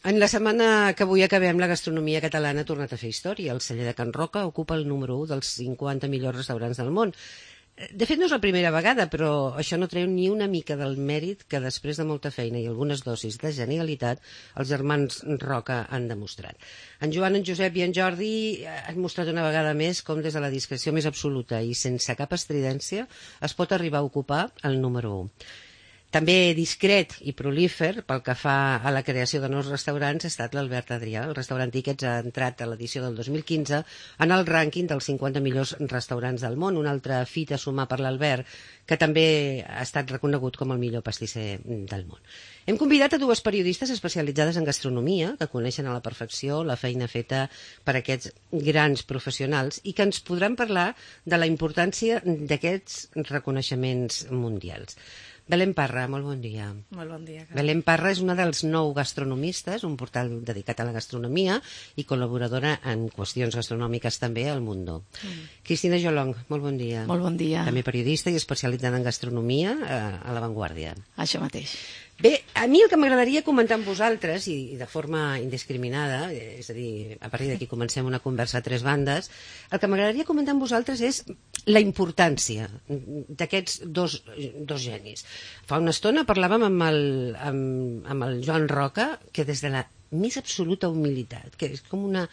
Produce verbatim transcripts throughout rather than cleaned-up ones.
En la setmana que avui acabem, la gastronomia catalana ha tornat a fer història. El celler de Can Roca ocupa el número u dels cinquanta millors restaurants del món. De fet, no és la primera vegada, però això no treu ni una mica del mèrit que després de molta feina i algunes dosis de genialitat els germans Roca han demostrat. En Joan, en Josep i en Jordi han mostrat una vegada més com des de la discreció més absoluta i sense cap estridència es pot arribar a ocupar el número u. També discret i prolífer pel que fa a la creació de nous restaurants ha estat l'Albert Adrià. El restaurant Tickets ha entrat a l'edició del dos mil quinze en el rànquing dels cinquanta millors restaurants del món, una altra fita a sumar per l'Albert, que també ha estat reconegut com el millor pastisser del món. Hem convidat a dues periodistes especialitzades en gastronomia, que coneixen a la perfecció la feina feta per aquests grans professionals i que ens podran parlar de la importància d'aquests reconeixements mundials. Belén Parra, molt bon dia. Molt bon dia. Belén Parra és una dels nou gastronomistes, un portal dedicat a la gastronomia i col·laboradora en qüestions gastronòmiques també al Mundo. Mm. Cristina Jolong, molt bon dia. Molt bon dia. També periodista i especialitzada en gastronomia a La Vanguardia. Això mateix. Bé, a mi el que m'agradaria comentar amb vosaltres, i de forma indiscriminada, és a dir, a partir d'aquí comencem una conversa a tres bandes, el que m'agradaria comentar amb vosaltres és la importància d'aquests dos, dos genis. Fa una estona parlàvem amb el, amb, amb el Joan Roca, que des de la més absoluta humilitat, que és com una...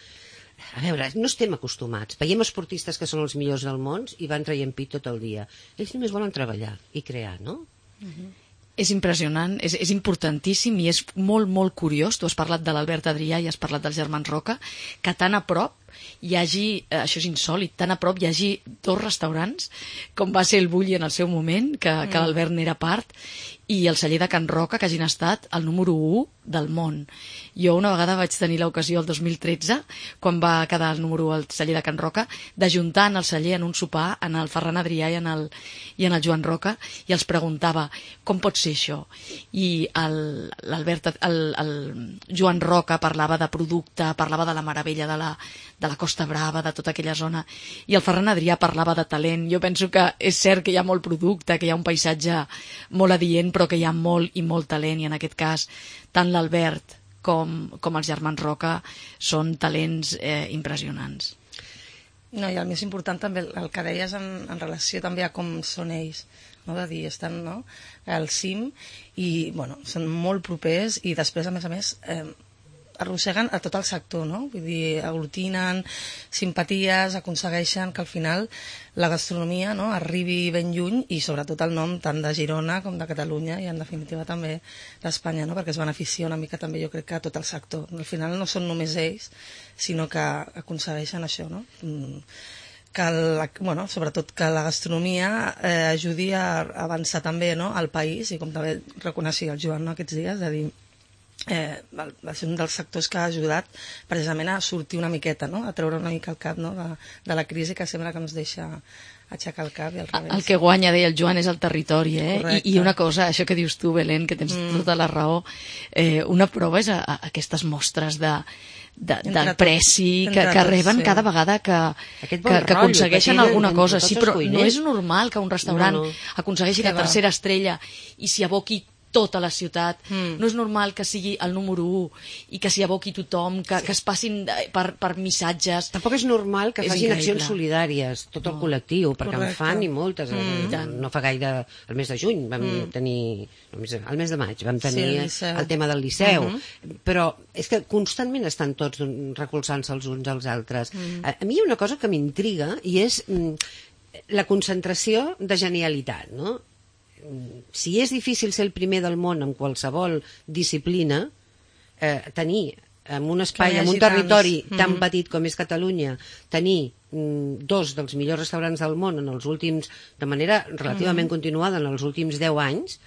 A veure, no estem acostumats. Veiem esportistes que són els millors del món i van traient pit tot el dia. Ells només volen treballar i crear, no? Uh-huh. És impressionant, és, és importantíssim i és molt, molt curiós. Tu has parlat de l'Albert Adrià i has parlat dels germans Roca, que tan a prop hi hagi, eh, això és insòlit, tan a prop hi hagi dos restaurants, com va ser el Bulli en el seu moment, que, mm. que l'Albert n'era part, i el celler de Can Roca, que hagin estat el número u del món. Jo una vegada vaig tenir l'ocasió el dos mil tretze, quan va quedar el número u al celler de Can Roca, d'ajuntar en el celler en un sopar en el Ferran Adrià i en el, i en el Joan Roca, i els preguntava com pot ser això. I el, l'Albert, el, el Joan Roca parlava de producte, parlava de la meravella de la, de la Costa Brava, de tota aquella zona, i el Ferran Adrià parlava de talent. Jo penso que és cert que hi ha molt producte, que hi ha un paisatge molt adient, però que hi ha molt i molt talent, i en aquest cas tant l'Albert com, com els germans Roca són talents eh, impressionants. No, i el més important també, el que deies en, en relació també a com són ells, no? De dir, estan, no? Al cim i bueno, són molt propers i després, a més a més, eh, arrosseguen a tot el sector, no? Vull dir, aglutinen simpaties, aconsegueixen que al final la gastronomia, no, arribi ben lluny i sobretot el nom tant de Girona com de Catalunya i en definitiva també d'Espanya, no? Perquè es beneficia una mica també jo crec que a tot el sector. Al final no són només ells, sinó que aconsegueixen això, no? Que la, bueno, sobretot que la gastronomia eh, ajudi a avançar també, no, al país i com també reconeixia el Joan, no, aquests dies, de dir Eh, va ser un dels sectors que ha ajudat precisament a sortir una miqueta, no? A treure una mica el cap, no? de, de la crisi que sembla que ens deixa aixecar el cap i al revés. El que guanya, deia el Joan, és el territori, eh? I, I una cosa, això que dius tu, Belén, que tens mm. tota la raó, eh, una prova és a, a aquestes mostres de de, del preci que, que reben sí. cada vegada que, que, que aconsegueixen que alguna cosa. Sí, però no és normal que un restaurant no, no. aconsegueixi la tercera estrella i s'hi aboqui tota la ciutat. Mm. No és normal que sigui el número u i que s'hi aboqui tothom, que, sí. que es passin per, per missatges. Tampoc és normal que és facin increïble. Accions solidàries, tot el no. col·lectiu, perquè Correcte. En fan i moltes. Mm. No fa gaire, el mes de juny vam mm. tenir, el mes de maig vam tenir sí, el, el tema del Liceu, mm-hmm. però és que constantment estan tots recolzant-se els uns als altres. Mm. A, a mi hi ha una cosa que m'intriga i és mm, la concentració de genialitat, no? Si és difícil ser el primer del món en qualsevol disciplina, eh, tenir en un espai, en un territori tants. tan mm. petit com és Catalunya, tenir mm, dos dels millors restaurants del món en els últims, de manera relativament mm. continuada en els últims deu anys,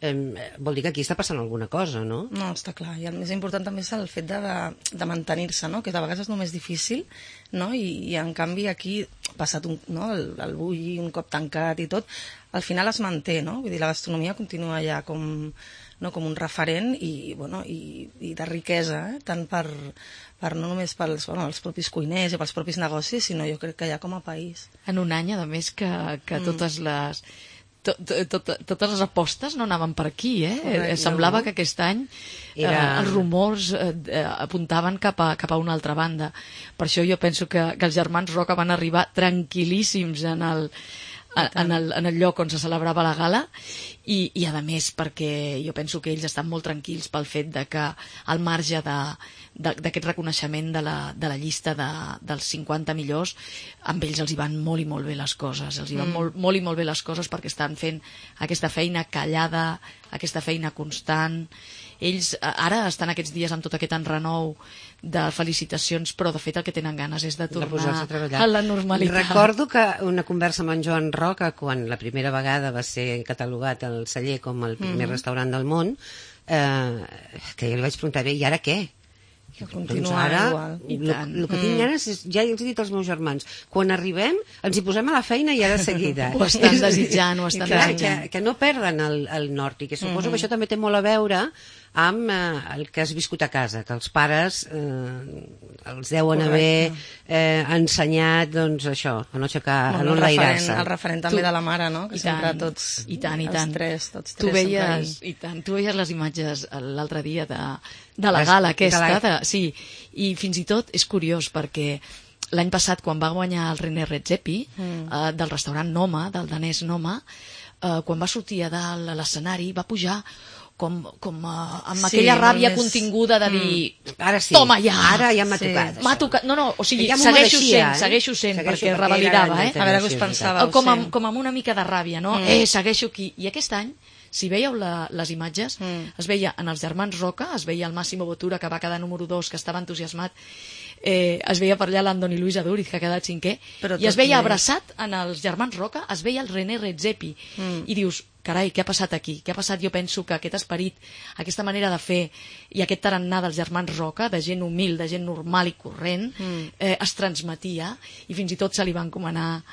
eh, vol dir que aquí està passant alguna cosa, no? No, està clar. I el més important també és el fet de, de, de mantenir-se, no? Que de vegades és només difícil, no? I, i en canvi aquí, passat un, no? el, el bulli un cop tancat i tot, al final es manté, no? Vull dir, la gastronomia continua ja com, no? com un referent i, bueno, i, i de riquesa, eh? Tant per, per no només pels bueno, els propis cuiners i pels propis negocis, sinó jo crec que ja com a país. En un any, a més, que, que mm. totes les... tot, tot, totes les apostes no anaven per aquí, eh? Correcte, Semblava no? que aquest any Era... eh, els rumors eh, eh, apuntaven cap a, cap a una altra banda. Per això jo penso que, que els germans Roca van arribar tranquil·líssims en el, en el, en el lloc on se celebrava la gala i, i a més perquè jo penso que ells estan molt tranquils pel fet de que al marge de d'aquest reconeixement de la, de la llista de, dels cinquanta millors, amb ells els hi van molt i molt bé les coses, els hi van mm. molt, molt i molt bé les coses perquè estan fent aquesta feina callada, aquesta feina constant. Ells ara estan aquests dies amb tot aquest enrenou de felicitacions, però de fet el que tenen ganes és de tornar de a, a la normalitat. Recordo que una conversa amb en Joan Roca, quan la primera vegada va ser catalogat el Celler com el primer mm-hmm. restaurant del món, eh, que jo li vaig preguntar, bé, i ara què? Que continua doncs ara, igual. El que tinc ganes és, ja els he dit als meus germans, quan arribem ens hi posem a la feina i ja de seguida. Ho estan desitjant, ho estan clar, desitjant. Que, que no perden el, el nord, i que suposo Mm-hmm. que això també té molt a veure amb eh, el que has viscut a casa, que els pares eh, els deuen Correcte. haver eh, ensenyat, doncs això, a no aixecar, Bueno, a no el, referent, enlairar-se. el referent també Tu- de la mare, no? Que I sempre tant, tots, i tant, i tant. els tres, tots Tu tres veies, sempre i tant, tu veies les imatges l'altre dia de, de la Les- gala aquesta, de la- de, sí, i fins i tot és curiós perquè l'any passat quan va guanyar el René Redzepi Mm. eh, del restaurant Noma, del danès Noma, eh, quan va sortir a dalt a l'escenari va pujar com, com uh, amb Sí, aquella molt ràbia més- continguda de dir Ara sí, toma ja, ara ja m'ha Sí. tocat. m'ha això. tocat, no, no, o sigui, Ja m'ho segueixo mereixia, sent, eh? segueixo sent, Segueixo perquè perquè revalidava, era eh? A veure què us Sí, pensàveu. com, sí. amb, com amb una mica de ràbia, no? Mm. Eh, segueixo aquí. I aquest any, si veieu la, les imatges, Mm. es veia en els germans Roca, es veia el Massimo Bottura, que va quedar número dos, que estava entusiasmat, eh, es veia per allà l'Andoni Luis Aduriz, que ha quedat cinquè, Però i es tot veia bé. abraçat en els germans Roca, es veia el René Redzepi, Mm. i dius, carai, què ha passat aquí? Què ha passat? Jo penso que aquest esperit, aquesta manera de fer i aquest tarannà dels germans Roca, de gent humil, de gent normal i corrent, Mm. eh, es transmetia i fins i tot se li va encomanar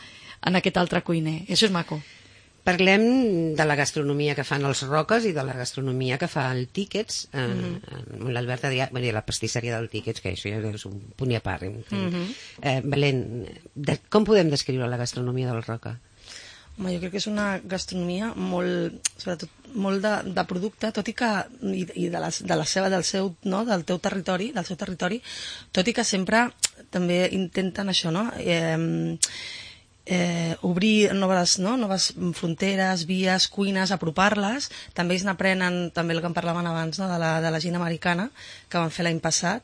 en aquest altre cuiner. I això és maco. Parlem de la gastronomia que fan els Roques i de la gastronomia que fa el Tickets, eh, Mm-hmm. amb l'Albert Adrià, bueno, i la pastisseria del Tickets, que això ja és un punt i a part. Mm-hmm. eh, Belén, de, com podem descriure la gastronomia del Roca? Home, jo crec que és una gastronomia molt, sobretot, molt de, de producte, tot i que, i, i de, la, de la seva, del seu, no?, del teu territori, del seu territori, tot i que sempre també intenten això, no?, eh, eh, obrir noves, no? noves fronteres, vies, cuines, apropar-les. També ells n'aprenen, també el que en parlaven abans, no? de, la, de la gent americana, que van fer l'any passat.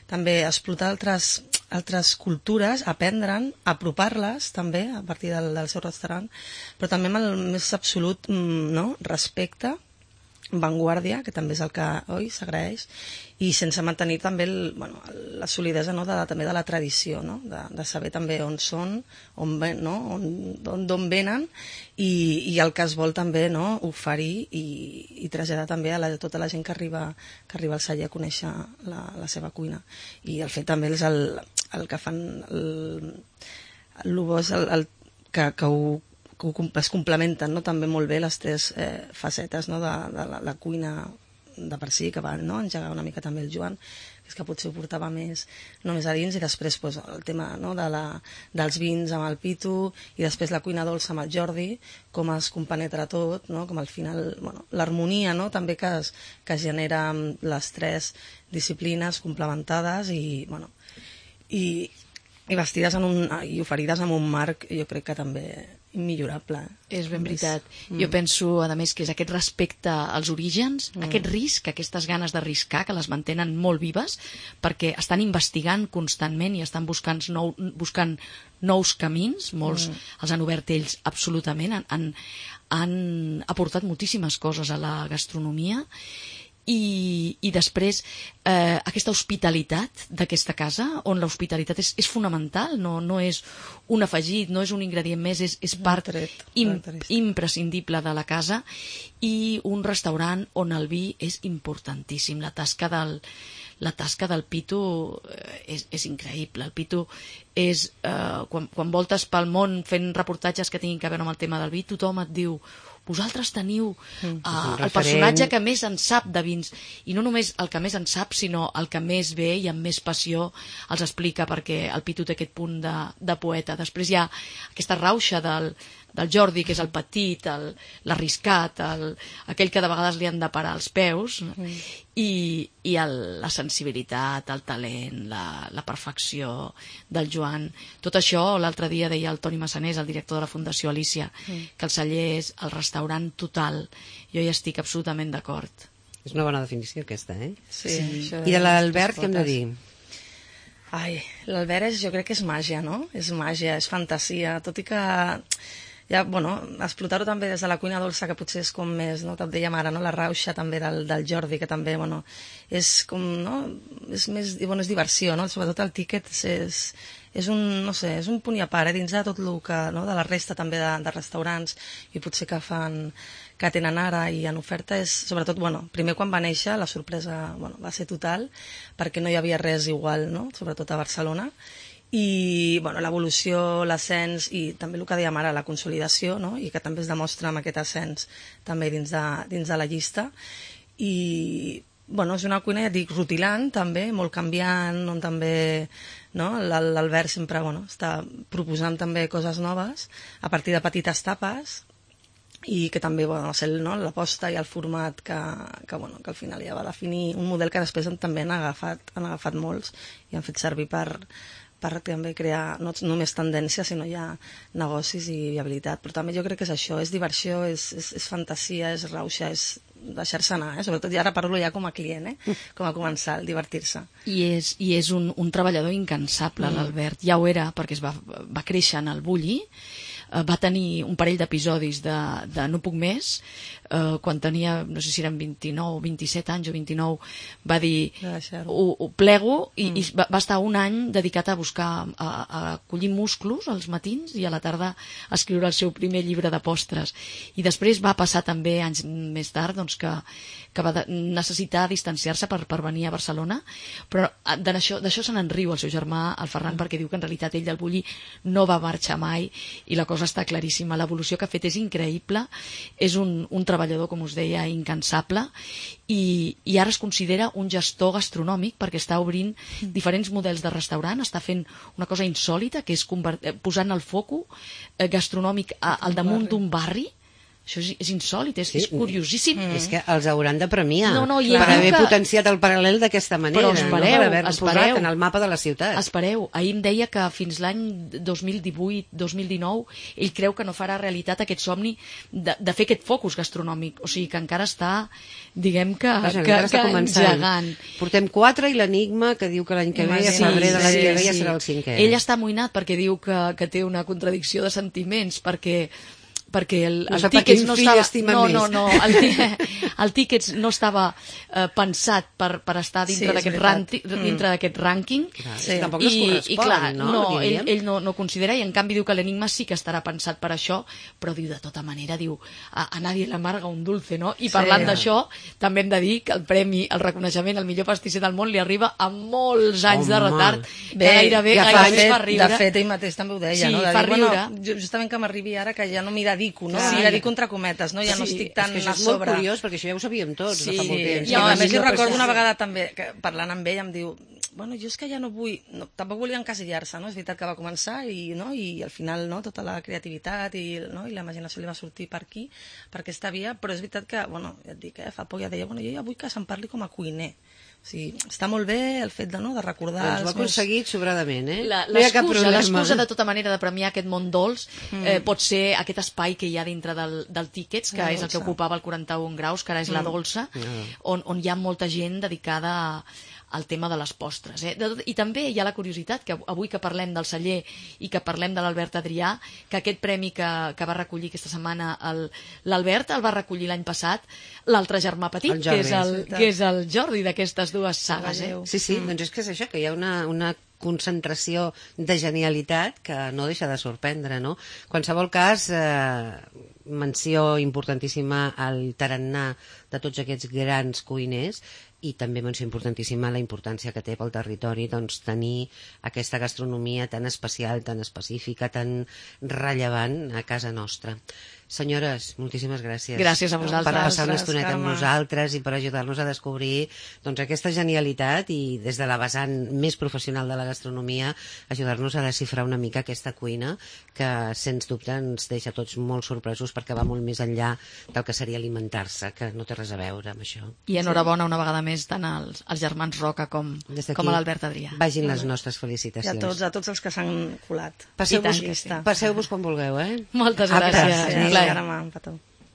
També explotar altres, altres cultures, aprendre'n, apropar-les també a partir del, del seu restaurant, però també amb el més absolut no? respecte, vanguardia, que també és el que oi s'agraeix, i sense mantenir també el, bueno, la solidesa no? de, també de la tradició, no? de, de saber també on són, on ven, no? on, on, d'on venen, i, i el que es vol també no? oferir i, i traslladar també a la, tota la gent que arriba, que arriba al celler a conèixer la, la seva cuina. I el fet també és el, el que fan el, el, el, el, el que, que ho que es complementen no? també molt bé les tres eh, facetes no? de, de la, la cuina de per si, que va no? engegar una mica també el Joan, que és que potser ho portava més, no més a dins, i després pues, el tema no? de la, dels vins amb el Pitu, i després la cuina dolça amb el Jordi, com es compenetra tot, no? com al final bueno, l'harmonia no? també que es, que es genera amb les tres disciplines complementades i, bueno, i, i vestides en un, i oferides amb un marc, jo crec que també immillorable. És ben veritat. Mm. Jo penso, a més, que és aquest respecte als orígens, Mm. aquest risc, aquestes ganes d'arriscar, que les mantenen molt vives, perquè estan investigant constantment i estan buscant, nou, buscant nous camins, molts Mm. els han obert ells absolutament, han, han, han aportat moltíssimes coses a la gastronomia, i, i després eh, aquesta hospitalitat d'aquesta casa, on l'hospitalitat és, és fonamental, no, no és un afegit, no és un ingredient més, és, és part tret, im, característic. imprescindible de la casa, i un restaurant on el vi és importantíssim. La tasca del, la tasca del Pitu eh, és, és increïble. El Pitu és, eh, quan, quan voltes pel món fent reportatges que tinguin a veure amb el tema del vi, tothom et diu: vosaltres teniu Mm. uh, el personatge que més en sap de vins, i no només el que més en sap, sinó el que més ve i amb més passió els explica, perquè el Pitu té aquest punt de, de poeta. Després hi ha aquesta rauxa del, del Jordi, que és el petit, el- l'arriscat, el, aquell que de vegades li han de parar els peus, mm. i, i el, la sensibilitat, el talent, la, la perfecció del Joan. Tot això, l'altre dia deia el Toni Massanés, el director de la Fundació Alícia, mm. que el celler és el restaurant total. Jo hi estic absolutament d'acord. És una bona definició aquesta, eh? Sí, Sí. això I de l'Albert, què hem de potes. dir? Ai, l'Albert és, jo crec que és màgia, no? És màgia, és fantasia, tot i que ja, bueno, explotar-ho també des de la cuina dolça, que potser és com més, no? Te'n dèiem ara, no? La rauxa també del, del Jordi, que també, bueno, és com, no? És més, bueno, és diversió, no? Sobretot el tíquet és, és, és un, no sé, és un punt i a part, eh? Dins de tot el que, no? De la resta també de, de restaurants, i potser que fan, que tenen ara i en oferta és, sobretot, bueno, primer quan va néixer la sorpresa, bueno, va ser total, perquè no hi havia res igual, no? Sobretot a Barcelona, i bueno, l'evolució, l'ascens i també el que dèiem ara, la consolidació, no? I que també es demostra amb aquest ascens també dins de, dins de la llista, i bueno, és una cuina, ja dic, rutilant també, molt canviant, on també, no? L'Al- l'Albert sempre, bueno, està proposant també coses noves a partir de petites tapes, i que també, bueno, és el, no? L'aposta i el format que, que, bueno, que al final ja va definir un model que després també han agafat, han agafat molts i han fet servir per, per també crear no només tendència, sinó ja negocis i viabilitat. Però també jo crec que és això, és diversió, és, és, és fantasia, és rauxa, és deixar-se anar, eh? Sobretot ja ara parlo ja com a client, eh? Com a comensal, divertir-se. I és, i és un, un treballador incansable, mm. l'Albert. Ja ho era, perquè es va, va créixer en el Bulli, eh, va tenir un parell d'episodis de, de No puc més, eh, quan tenia, no sé si eren vint-i-nou, vint-i-set anys o vint-i-nou, va dir, De deixar-ho. ho, ho plego, i, Mm. i va, va estar un any dedicat a buscar, a, a collir musclos als matins i a la tarda a escriure el seu primer llibre de postres. I després va passar també, anys més tard, doncs que, que va de, necessitar distanciar-se per, per venir a Barcelona, però ah, d'això d'això se n'en riu el seu germà, el Ferran, mm. perquè diu que en realitat ell del Bulli no va marxar mai, i la cosa està claríssima. L'evolució que ha fet és increïble, és un, un treballador, com us deia, incansable, i, i ara es considera un gestor gastronòmic perquè està obrint diferents models de restaurant, està fent una cosa insòlita, que és convert, eh, posant el foco eh, gastronòmic a, al damunt d'un barri. Això és, és insòlit, és, Sí. és curiosíssim. Mm. És que els hauran de premiar No, no, i per ell diu haver que- potenciat el paral·lel d'aquesta manera, Però espereu, no? Per haver-lo espereu. posat en el mapa de la ciutat. Espereu, ahir em deia que fins l'any dos mil divuit dos mil dinou ell creu que no farà realitat aquest somni de, de fer aquest focus gastronòmic, o sigui que encara està, diguem que, Vaja, que, encara està que començant. engegant. Portem quatre i l'enigma que diu que l'any que ve, a Sí, febrer de l'any sí, que ve, ja sí. serà el cinquè. Ell està amoïnat perquè diu que, que té una contradicció de sentiments, perquè perquè el, No el sap a tíquets quin no fill estava... estima no, més. no, no, el, tí- el tíquets no estava eh, pensat per, per estar Sí, dintre és d'aquest veritat. ranti- Mm. dintre d'aquest rànquing. Clar, Sí. Tampoc no es correspon, i clar, no? no ell, diríem? ell no, no considera, i en canvi diu que l'enigma sí que estarà pensat per això, però diu de tota manera, diu, a, a nadie l'amarga un dulce, no? I Sí. parlant d'això, també hem de dir que el premi, el reconeixement al millor pastisser del món li arriba amb molts anys de Home. retard, Bé, que gairebé, ja fa gairebé anys, fa de riure. fet, ell mateix també ho deia, Sí, no? De fa dir, bueno, riure. jo- justament que m'arribi ara que ja no m'hi dedico, no? Clar. M'hi dedico entre cometes, no? Ja no Sí, estic tan és que això a és molt sobre. curiós, perquè això ja ho sabíem tots de fa molt temps. I Que a no més jo millor recordo una pastisser. vegada també, que parlant amb ell em diu, bueno, jo és que ja no vull, no, tampoc volia encasillar-se, no? És veritat que va començar i, no? I al final, no? Tota la creativitat i, no? I la imaginació li va sortir per aquí, per aquesta via, però és veritat que, bueno, ja et dic, eh? Fa poc ja deia, bueno, jo ja vull que se'n parli com a cuiner. O sigui, està molt bé el fet de, no? De recordar... Doncs ho ha els meus- aconseguit sobradament, eh? La- No hi ha cap L'excusa, problema. l'excusa de tota manera de premiar aquest món dolç eh, pot ser aquest espai que hi ha dintre del, del Tíquets, que La és el que dolça. ocupava el quaranta-un graus, que ara és la dolça, on, on hi ha molta gent dedicada a, al tema de les postres. Eh? De, I també hi ha la curiositat, que avui que parlem del celler i que parlem de l'Albert Adrià, que aquest premi que, que va recollir aquesta setmana el- l'Albert el va recollir l'any passat l'altre germà petit, El Jordi, que, és el, és veritat. que és el Jordi d'aquestes dues sagues. Eh? Sí, sí, doncs és que és això, que hi ha una, una concentració de genialitat que no deixa de sorprendre, no? En qualsevol cas, eh, menció importantíssima al tarannà de tots aquests grans cuiners, i també menció importantíssima la importància que té pel territori, doncs, tenir aquesta gastronomia tan especial, tan específica, tan rellevant a casa nostra. Senyores, moltíssimes gràcies. Gràcies a vosaltres. Per passar una Gràcies, estoneta amb Carme. nosaltres i per ajudar-nos a descobrir doncs, aquesta genialitat i des de la vessant més professional de la gastronomia ajudar-nos a desxifrar una mica aquesta cuina que, sens dubte, ens deixa tots molt sorpresos perquè va molt més enllà del que seria alimentar-se, que no té res a veure amb això. I enhorabona una vegada més tant als, als germans Roca com, Des d'aquí, com a l'Albert Adrià. Vagin les nostres I a felicitacions. tots, a tots els que s'han colat. Passeu-vos I tant que sí. passeu-vos quan vulgueu, eh? Moltes Aptes. gràcies. Sí. Un plaer. Carme, un petó.